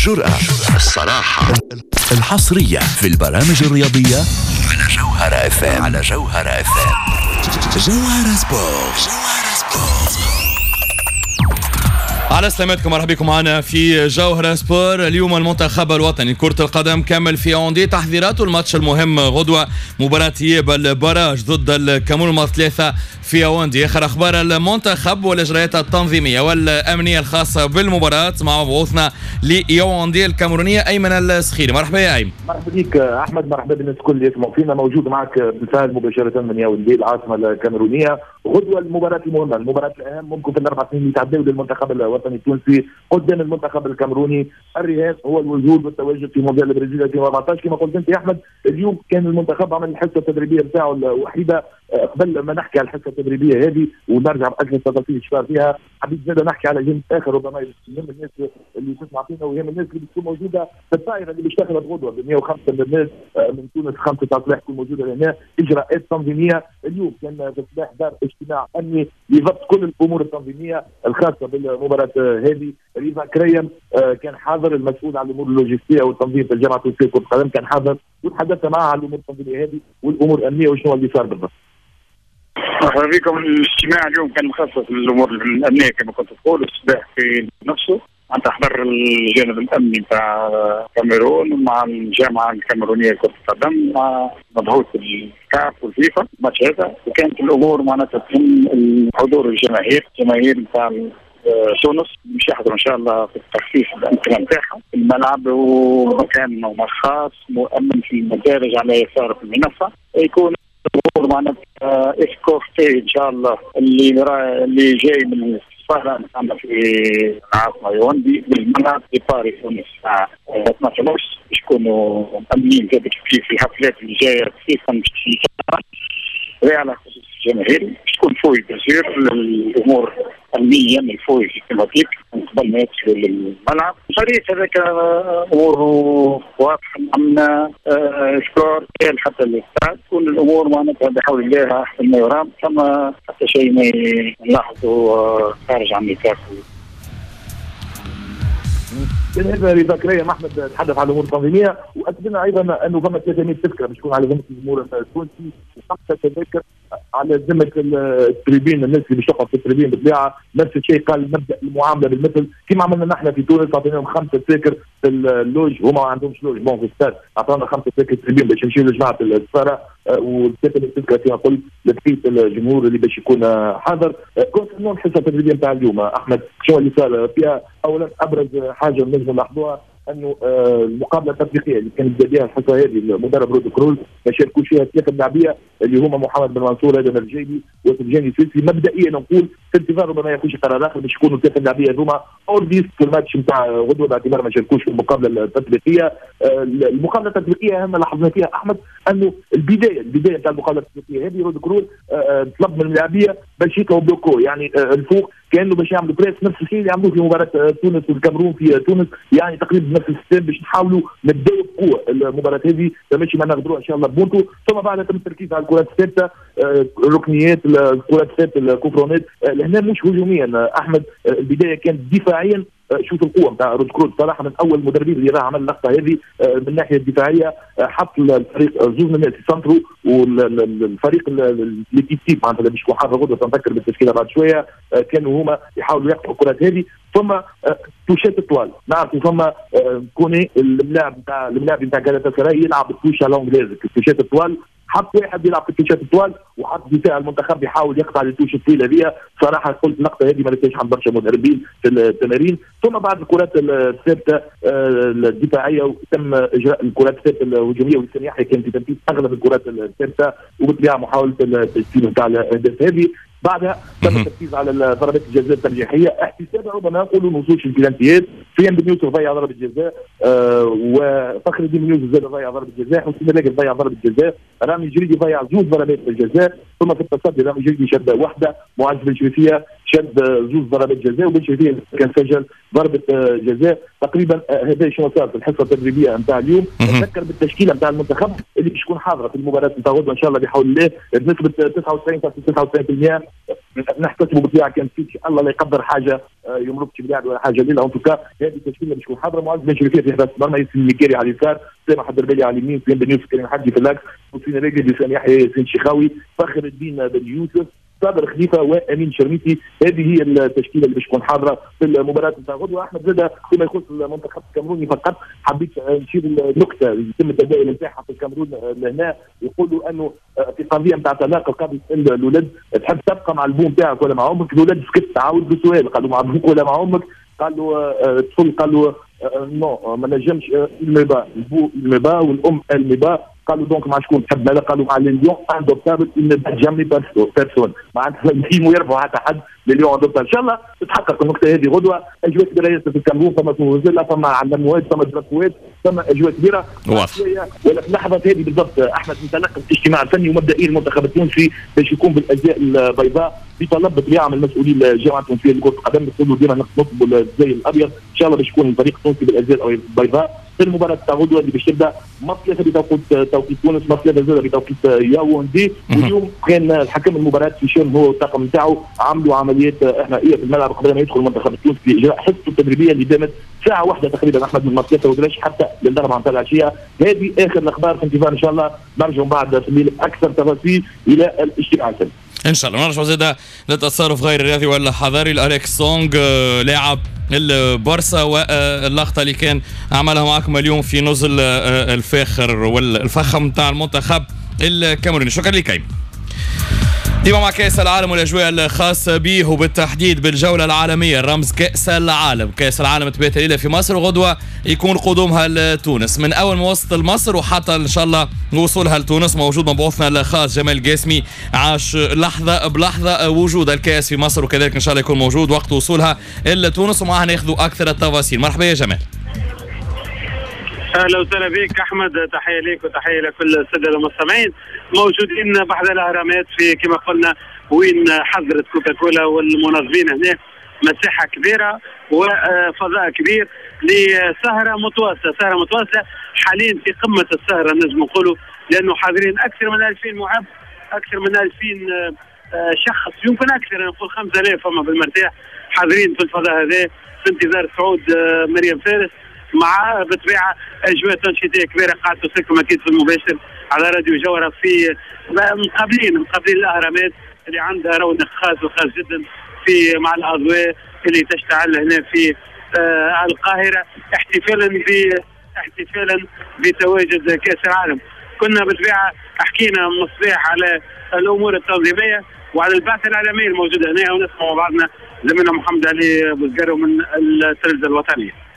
الجرأة، الصراحة، الحصرية في البرامج الرياضية على جوهرة اف ام. على جوهرة اف ام. جوهرة سبور. جوهرة سبور. على سلامتكم، مرحبا بكم معنا في جوهرة سبور. اليوم المنتخب الوطني كرة القدم كمل في ياوندي تحضيراته الماتش المهم غدوة، مباراة إياب ال barrage ضد الكاميرون 3 في ياوندي. آخر أخبار المنتخب والإجراءات التنظيمية والأمنية الخاصة بالمباراة مع مبعوثنا لياوندي الكاميرونية أيمن السخيري. مرحبا يا أيمن. مرحبا بك أحمد، مرحبا بالناس الكل اللي يسمعوا فينا. موجود معك بالفعل مباشرة من ياوندي العاصمة الكاميرونية. غدوة المباراة المهمة، المباراة الأهم ممكن في الأربع سنين اللي تعداو للمنتخب الوطني التونسي قدام المنتخب الكاميروني. الرهان هو الوجود والتواجد في مونديال البرازيل 2014. كما قلت انت يا احمد، اليوم كان المنتخب عمل الحصة التدريبية نتاعو الوحيدة. قبل ما نحكي على الحصة التدريبية هذه ونرجع باكثر التفاصيل صار فيها، حبيت زاد نحكي على جانب اخر ربما يهم الناس اللي تسمع فينا ويهم الناس اللي بتكون موجودة في الطائرة اللي باش تاخذ غدوه ب 105 من الناس من تونس 5 تاع الصباح تكون موجودة هنا. اجراءات تنظيميه اليوم كان في الصباح دار اجتماع امني لضبط كل الامور التنظيمية الخاصة بالمباراة هذه. رضا كريم كان حاضر، المسؤول عن الامور اللوجستية والتنظيم في الجامعة التونسية لكرة القدم كان حاضر وتحدث معه عن الامور التنظيمية هذه والامور الامنية وشنو اللي صار بالضبط. مرحبا بكم. الاجتماع اليوم كان مخصص للامور الامنية كما كنت تقول. الصباح في نفسه معناتها حضر الجانب الامني نتاع الكاميرون مع الجامعة الكاميرونيه لكرة القدم مع مبعوث الكاف والفيفا الماتش هذا، وكانت الامور معناتها تهم الحضور الجماهير، الجماهير نتاع تونس باش يحضروا ان شاء الله في التخفيف الامكنة نتاعهم في الملعب ومكان خاص مؤمن في المدارج على يسار في المنصة، يكون الامور معناتها escorté ان شاء الله اللي جاي من السفارة نتاعنا في العاصمة يوندي بالملعب départ يكون الساعة 12:30 باش يكونوا مأمنين زاد كيف في الحفلات اللي جاية خصيصا باش على خصوص الجماهير باش تكون fouille bien sûr الامور امنيا ال fouille systématique من قبل ما يدخلوا للملعب. الفريق هذاك اموره واضحة مأمنه escorté حتى الاستاد، تكون الامور معناتها بحول الله احسن ما يرام، ثم حتى شيء ما نلاحظه خارج عن نطاق. بالنسبة لرضا كريم احمد تحدث على الامور التنظيمية واكدنا ايضا انه فما 300 تذكره باش تكون على ذمه الجمهور التونسي وخمسة تذاكر على ذمه ال tribune، الناس اللي باش تقعد في ال tribune بالطبيعة. نفس الشيء قال مبدا المعاملة بالمثل كما عملنا نحن في تونس، اعطيناهم 5 تذاكر في ال loge، هما ما عندهمش loge bon في الستاد، اعطونا 5 تذاكر tribune باش يمشيو لجماعة السفارة، و3 تذكره كما قلت لبقية الجمهور اللي باش يكون حاضر. concernant الحصة التدريبية نتاع اليوم احمد، شنو اللي صار فيها؟ اولا ابرز حاجة نجم نلاحظوها انه المقابلة التطبيقية اللي كانت بها الحصة هذه المدرب رود كرول ما شاركوش فيها 3 لاعبيه اللي هما محمد بن منصور، ادم الرجيبي، وسجاني سويسي. مبدئيا نقول في انتظار ربما يكونش قرار اخر باش يكونوا 3 لاعبيه هذوما hors liste في الماتش نتاع غدوه باعتبار ما شاركوش في المقابلة التطبيقية. المقابلة التطبيقية اهم لاحظنا فيها احمد انه البداية نتاع المقابلة التطبيقية هذه رود كرول طلب من اللاعبيه باش يطلعوا bloc haut، يعني الفوق كانه باش يعملوا press، نفس الشيء اللي عملوه في مباراة تونس والكاميرون في تونس، يعني تقريبا نفس ال système باش نحاولوا نبداو بقوة المباراة هذه ماشي ما نغدروها ان شاء الله بونتو. ثم بعدها تم التركيز على الكرات الثابتة، الركنيات، الكرات الثابتة، الكوفرونات. لهنا مش هجوميا احمد، البداية كانت دفاعيا. شوف القوة نتاع رود كرول صراحة من اول المدربين اللي راه عمل اللقطة هذه من الناحية الدفاعية، حط الفريق زوج من الناس يسنتروا والفريق l'équipe type معناتها اللي باش يكون حاضر غدوه تنذكر بالتشكيله بعد شوية، كانوا هما يحاولوا يقطعوا الكرات هذه. ثم توشات الطوال، نعرفوا ثم كوني اللاعب نتاع غالاتا سراي يلعب ال touche à l'anglaise، التوشات الطوال، حط واحد يلعب في التوشات الطوال وحط دفاع المنتخب يحاول يقطع ال touche الطويلة هذه. صراحة قلت اللقطة هذه ما لقيتش عند برشا مدربين في التمارين. ثم بعد الكرات الثابتة الدفاعية تم اجراء الكرات الثابتة الهجومية، وسام يحيى كان في تنفيذ اغلب الكرات الثابتة وبالطبيعه محاولة التسجيل نتاع الاهداف هذه. بعدها تم التركيز على ضربات الجزاء الترجيحيه احتسابا ربما نقولوا نوصولش البلانتيات. سفيان بن يوسف ضيع ضربه جزاء، وفخر الدين بن يوسف زاد ضيع ضربه جزاء، حسين الراجل ضيع ضربه جزاء، رامي جريدي ضيع زوج ضربات الجزاء. ثم في التصدي رامي جريدي شد واحدة، معز بن شريفيه شد زوج ضربات جزاء، وبن شريفيه كان سجل ضربه جزاء. تقريبا هذا شنو صار في الحصة التدريبية نتاع اليوم. نذكر بالتشكيله نتاع المنتخب اللي اللي باش تكون حاضره في المباراة نتاع غدوه ان شاء الله بحول الله بنسبة 99.99%. نحتسبوا بالطبيعة كان في الله لا يقدر حاجة يمرض شي بلاعب ولا حاجة ليلة. en tout cas هذه التشكيلة باش تكون حاضره: معز بن شريفيه في حراسة المرمى، ياسين المكاري على اليسار، سامح الدربالي على اليمين، سليم بن يوسف، كريم حجي في l'axe، حسين راقد، وسام يحيى، ياسين شيخاوي، فخر الدين بن يوسف، صابر خليفة وامين شرميتي. هذه هي التشكيلة اللي باش تكون حاضره في المباراة نتاع غدوه. احمد زاد فيما يخص المنتخب الكاميروني فقط حبيت نشير النكتة اللي يتم التداول نتاعها في الكاميرون لهنا، يقولوا انه في قضية نتاع طلاق القاضي سال الولد تحب تبقى مع البو نتاعك ولا مع امك؟ الولد سكت، عاود بالسؤال قالوا مع ابوك ولا مع امك؟ قال له الطفل قال له non ما نجمش، il me bat، البو il me bat والام elle me bat. قالوا donc مع شكون تحب ماذا؟ قالوا مع les lions indomptables ils ne battent jamais personne، معناتها ما يربحوا حتى حد les lions indomptables. ان شاء الله تتحقق النقطة هذه غدوه. اجواء كبيرة ياسر في الكاميرون، فما فوزيلا، فما علموات، فما درافوات، فما اجواء كبيرة. واضح. ولا في اللحظة هذه بالضبط احمد انطلق الاجتماع الفني، ومبدئيا المنتخب التونسي باش يكون بالازياء البيضاء بطلب بالطبيعة من المسؤولين الجامعة التونسية لكرة القدم، يقولوا ديما نطلبوا الزي الابيض. ان شاء الله باش يكون الفريق التونسي بالازياء البيضاء في المباراة تاع غدوه اللي باش تبدا 3 بتوقيت تونس، 3 زاد بتوقيت ياوندي. واليوم كان الحكم المباراة هشام هو والطاقم نتاعو عملوا عمليات احمائيه في الملعب قبل ما يدخل المنتخب التونسي لاجراء حصته التدريبية اللي دامت ساعة واحدة تقريبا احمد من 3 ودرش حتى للاربعه نتاع العشية. هذه اخر الاخبار، في انتظار ان شاء الله نرجع بعد في الليل اكثر تفاصيل الى الاجتماع الفني. ان شاء الله. نرجع زاد للتصرف غير الرياضي والحضاري لأليكس سونغ لاعب البارسا، واللقطه اللي كان عملها معكم اليوم في نزل الفاخر والفخم تاع المنتخب الكاميروني. شكرا لك ايمن. ديما مع كأس العالم والأجواء الخاصة به، وبالتحديد بالجولة العالمية الرمز كأس العالم. كأس العالم تبات ليلة في مصر وغدوة يكون قدومها لتونس. من أول ما وصلت لمصر وحتى إن شاء الله وصولها لتونس موجود مبعوثنا الخاص جمال قاسمي، عاش لحظة بلحظة وجود الكأس في مصر، وكذلك إن شاء الله يكون موجود وقت وصولها لتونس ومعها ناخذ أكثر التفاصيل. مرحبا يا جمال. اهلا وسهلا بك احمد، تحية لك وتحية لكل السادة المستمعين موجودين بحذا الاهرامات في كما قلنا وين حضرت كوكاكولا والمنظمين هنا مساحة كبيرة وفضاء كبير لسهره متواصلة، سهره متواصلة حاليا في قمة السهرة نجم نقولوا، لانه حاضرين اكثر من 2000 معب، اكثر من 2000 شخص، يمكن اكثر نقول 5000 فما بالمرتاح حاضرين في الفضاء هذا في انتظار صعود مريم فارس، مع بالطبيعة اجواء تنشيطيه كبيرة قاعدة توصلكم اكيد في المباشر على راديو جوهره في مقابلين الاهرامات اللي عندها رونق خاص وخاص جدا في مع الاضواء اللي تشتعل هنا في القاهرة احتفالا بتواجد كاس العالم. كنا بالطبيعة حكينا من الصباح على الامور التنظيمية وعلى البعثة الاعلامية الموجودة هنا، ونسمع مع بعضنا زميلنا محمد علي بوزقارو من التلفزة الوطنية.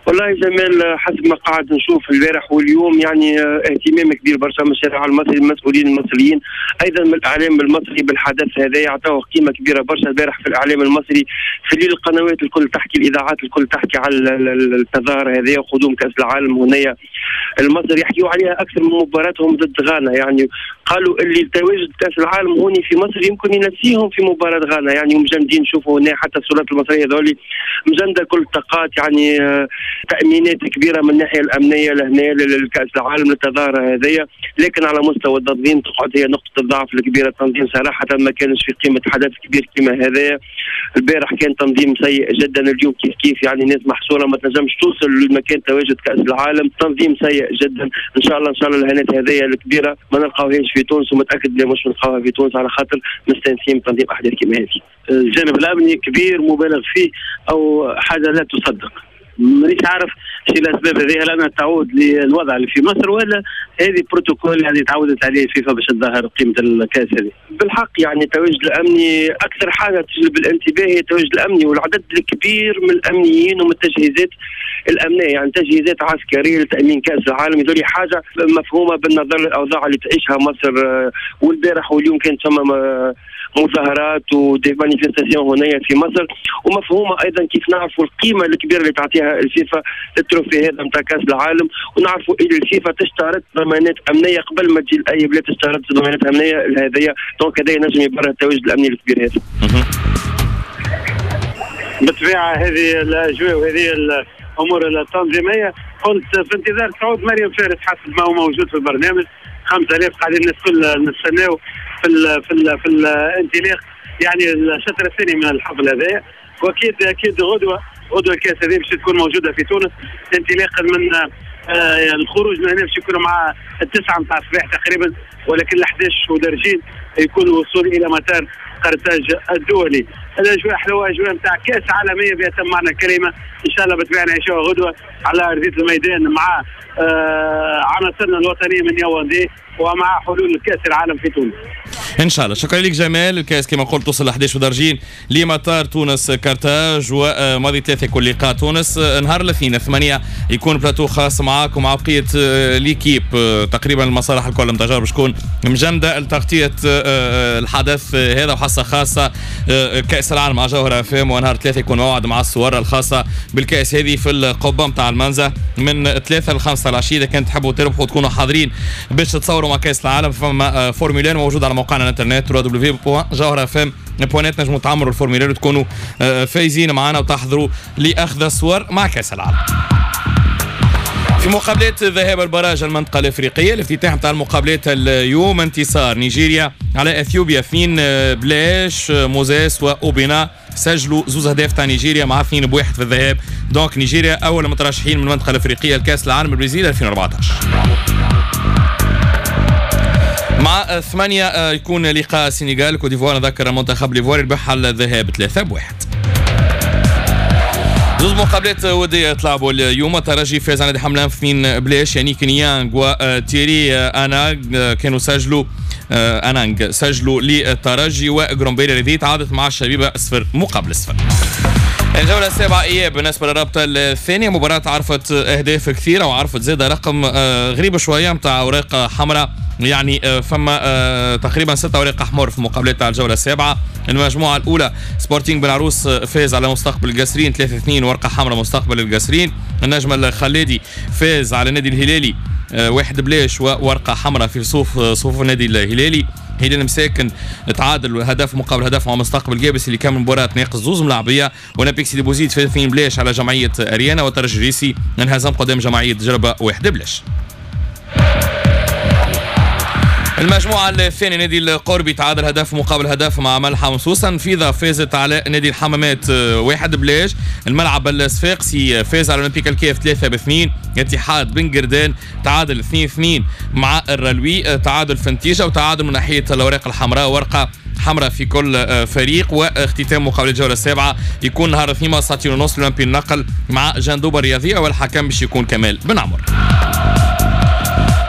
والله جمال، حسب ما قاعد نشوف البارح واليوم يعني اهتمام كبير برشا من الشارع المصري، المسؤولين المصريين، ايضا من الاعلام المصري بالحدث هذا، يعطوه قيمة كبيرة برشا. البارح في الاعلام المصري في الليل القنوات الكل تحكي، الاذاعات الكل تحكي على التظاهر هذا وقدوم كاس العالم هنايا. المصري يحكيوا عليها اكثر من مباراتهم ضد غانا، يعني قالوا اللي تواجد كاس العالم هوني في مصر يمكن ينسيهم في مباراة غانا، يعني مجندين. شوفوا هنا حتى السلطات المصرية هذول مجندة كل الطاقات، يعني تأمينات كبيرة من الناحية الأمنية لهنا للكأس العالم للتظاهرة هذيا، لكن على مستوى التنظيم تقعد هي نقطة الضعف الكبيرة. التنظيم صراحة ما كانش في قيمة حدث كبير كما هذايا. البارح كان تنظيم سيء جدا، اليوم كيف كيف، يعني ناس محصورة ما تنجمش توصل لمكان تواجد كأس العالم، تنظيم سيء جدا. إن شاء الله إن شاء الله الهنات هذيا الكبيرة ما نلقاوهاش في تونس، ومتأكد بلي مش نلقاوها في تونس على خاطر مستانسين بتنظيم أحداث كما هذه. الجانب الأمني كبير مبالغ فيه أو حاجة لا تصدق، مانيش عارف شو الاسباب هذه، هل انها تعود للوضع اللي في مصر ولا هذه بروتوكول يعني تعودت عليه الفيفا باش تظهر قيمة الكاس هذه؟ بالحق يعني التواجد الامني اكثر حاجة تجلب الانتباه هي التواجد الامني والعدد الكبير من الامنيين ومن التجهيزات الامنية، يعني تجهيزات عسكرية لتامين كاس العالم، هذول حاجة مفهومه بالنظر للاوضاع اللي تعيشها مصر. والبارح واليوم كانت ثم مظاهرات و des manifestations هنايا في مصر، ومفهومه ايضا كيف نعرفوا القيمة الكبيرة اللي تعطيها الفيفا لل trophée هذا نتاع كاس العالم، ونعرفوا اللي الفيفا تشترط ضمانات امنية قبل ما تجي لاي بلاد، تشترط ضمانات امنية لهذيا، donc هذا ينجم يبرر التواجد الامني الكبير هذا. بالطبيعة هذه الاجواء وهذه الامور التنظيمية. قلت في انتظار صعود مريم فارس حسب ما هو موجود في البرنامج، 5000 قاعدين الناس الكل نستناو في الانطلاق، يعني الشطر الثاني من الحفل هذايا. واكيد اكيد غدوه الكاس هذه باش تكون موجودة في تونس، انطلاقا من الخروج من هنا باش يكون مع 9 نتاع الصباح تقريبا، ولكن 11 ودرجين يكون الوصول الى مطار قرطاج الدولي. الاجواء حلوة، اجواء نتاع كاس عالمية بأتم معنى الكلمة، ان شاء الله بالطبيعة نعيشوها غدوه على ارضية الميدان مع عناصرنا الوطنية من ياوندي ومع حلول كاس العالم في تونس. ان شاء الله. شكرا لك جمال. الكاس كما قلت توصل 11 ودرجين لمطار تونس كارتاج، وماضي 3 يكون لقاء تونس. نهار الاثنين 8 يكون بلاتو خاص معاك ومع بقية l'équipe، تقريبا المصالح الكل نتاع باش تكون مجندة لتغطيه الحدث هذا، وحصه خاصة كاس العالم مع جوهرة اف ام. ونهار 3 يكون موعد مع الصور الخاصة بالكاس هذه في القبة نتاع المنزه من 3 ل 5 العشية. اذا كان تحبوا تربحوا وتكونوا حاضرين باش تتصوروا مع كاس العالم، فما formulaire موجود على موقعنا الانترنت www.jawharafm.net، نجموا تعمروا ال formulaire وتكونوا فايزين معنا وتحضروا لاخذ الصور مع كاس العالم. في مقابلات ذهاب ال barrage المنطقة الأفريقية، الافتتاح نتاع المقابلات اليوم انتصار نيجيريا على أثيوبيا 2-0، موزيس وأوبينا سجلوا 2 أهداف تاع نيجيريا مع 2-1 في الذهاب. donc نيجيريا أول مترشحين من المنطقة الأفريقية لكأس العالم البرازيل 2014. مع 8 يكون لقاء السنغال كوت ديفوار، نذكر المنتخب الإيفواري ربح الذهاب 3-1. زوج مقابلات ودية تلعبوا اليوم، الترجي فاز على نادي حملان 2-0، يعني كينيانغ وتيري انانغ كانوا سجلوا انانغ سجلوا للترجي، وغرومبيلي الذي تعادت مع الشبيبة 0-0. الجولة السابعة إياب بالنسبة للرابطة الثانية، مباراة عرفت أهداف كثيرة وعرفت زادة رقم غريب شوية نتاع أوراق حمراء، يعني فما تقريبا 6 أوراق أحمر في مقابلات تاع الجولة السابعة. المجموعة الأولى سبورتينغ بن عروس فاز على مستقبل القصرين 3-2، ورقة حمراء مستقبل القصرين. النجم الخليدي فاز على النادي الهلالي 1-0 وورقة حمراء في صفوف النادي الهلالي. هلال مساكن تعادل هدف مقابل هدف مع مستقبل جابس اللي كان مباراة ناقص 2 ملاعبية. اولمبيك سيدي بوزيد فاز 2-0 على جمعية أريانا، والترجي الريسي انهزم قدام جمعية جربة 1-0. المجموعة الثانية نادي القربي تعادل هدف مقابل هدف مع ملحم سوسن. فيضا فازت على نادي الحمامات 1-0. الملعب الصفاقسي فاز على اولمبيك الكاف 3-2. اتحاد بن قردان تعادل 2-2 مع الرلوي، تعادل في النتيجة وتعادل من ناحية الأوراق الحمراء، ورقة حمراء في كل فريق. واختتام مقابلة الجولة السابعة يكون نهار الاثنين 2:30 اولمبي النقل مع جندوبة الرياضية، والحكم باش يكون كمال بن عمر.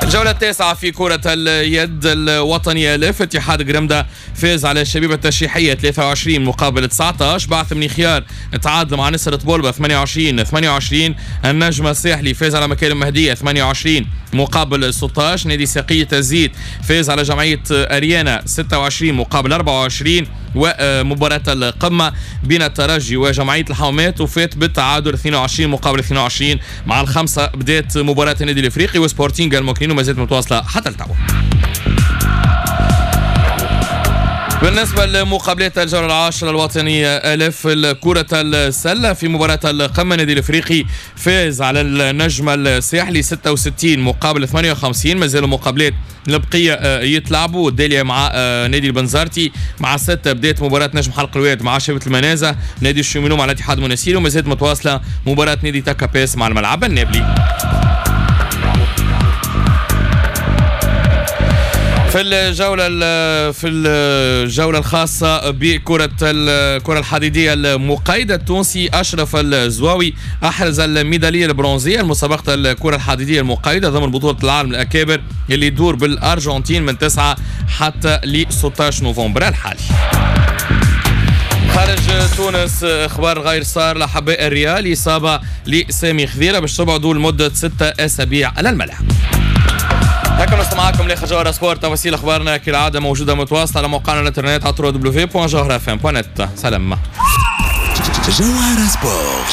الجولة التاسعة في كرة اليد الوطنية الف، اتحاد قرمدة فاز على الشبيبة التشريحية 23-19. بعث من خيار تعادل مع نسر طبولبة 28-28. النجم الساحلي فاز على مكارم مهدية 28-16. نادي ساقية الزيت فاز على جمعية أريانا 26-24. ومباراة القمة بين الترجي وجمعية الحومات وفات بالتعادل 22-22. مع 5 بدات مباراة النادي الافريقي وسبورتينغ المكنين وما زالت متواصلة حتى التو. بالنسبة لمقابلات الجولة العاشرة الوطنية ألف كرة السلة، في مباراة القمة النادي الإفريقي فاز على النجم الساحلي 66-58. ما زالوا مقابلات البقية يتلعبوا. داليا مع نادي البنزرتي مع 6 بدات مباراة نجم حلق الواد مع شبيبة المنازه، نادي الشمينو مع الاتحاد المناسيري، وما زالت متواصلة مباراة نادي تاكابيس مع الملعب النابلي. في الجولة الخاصة بكرة الكرة الحديدية المقيدة، التونسي أشرف الزواوي أحرز الميدالية البرونزية لمسابقة الكرة الحديدية المقيدة ضمن بطولة العالم الأكابر اللي يدور بالأرجنتين من 9 حتى ل 16 نوفمبر الحالي. خارج تونس اخبار غير صار لحباء الريال، إصابة لسامي خذيرة باش تبعدوا لمدة 6 أسابيع على الملعب. هكا نوصل معاكم لاخر جوهرة سبور. تفاصيل اخبارنا كالعادة موجودة متواصلة على موقعنا الانترنت على www.jawharafm.net. سلام. جوهرة سبور.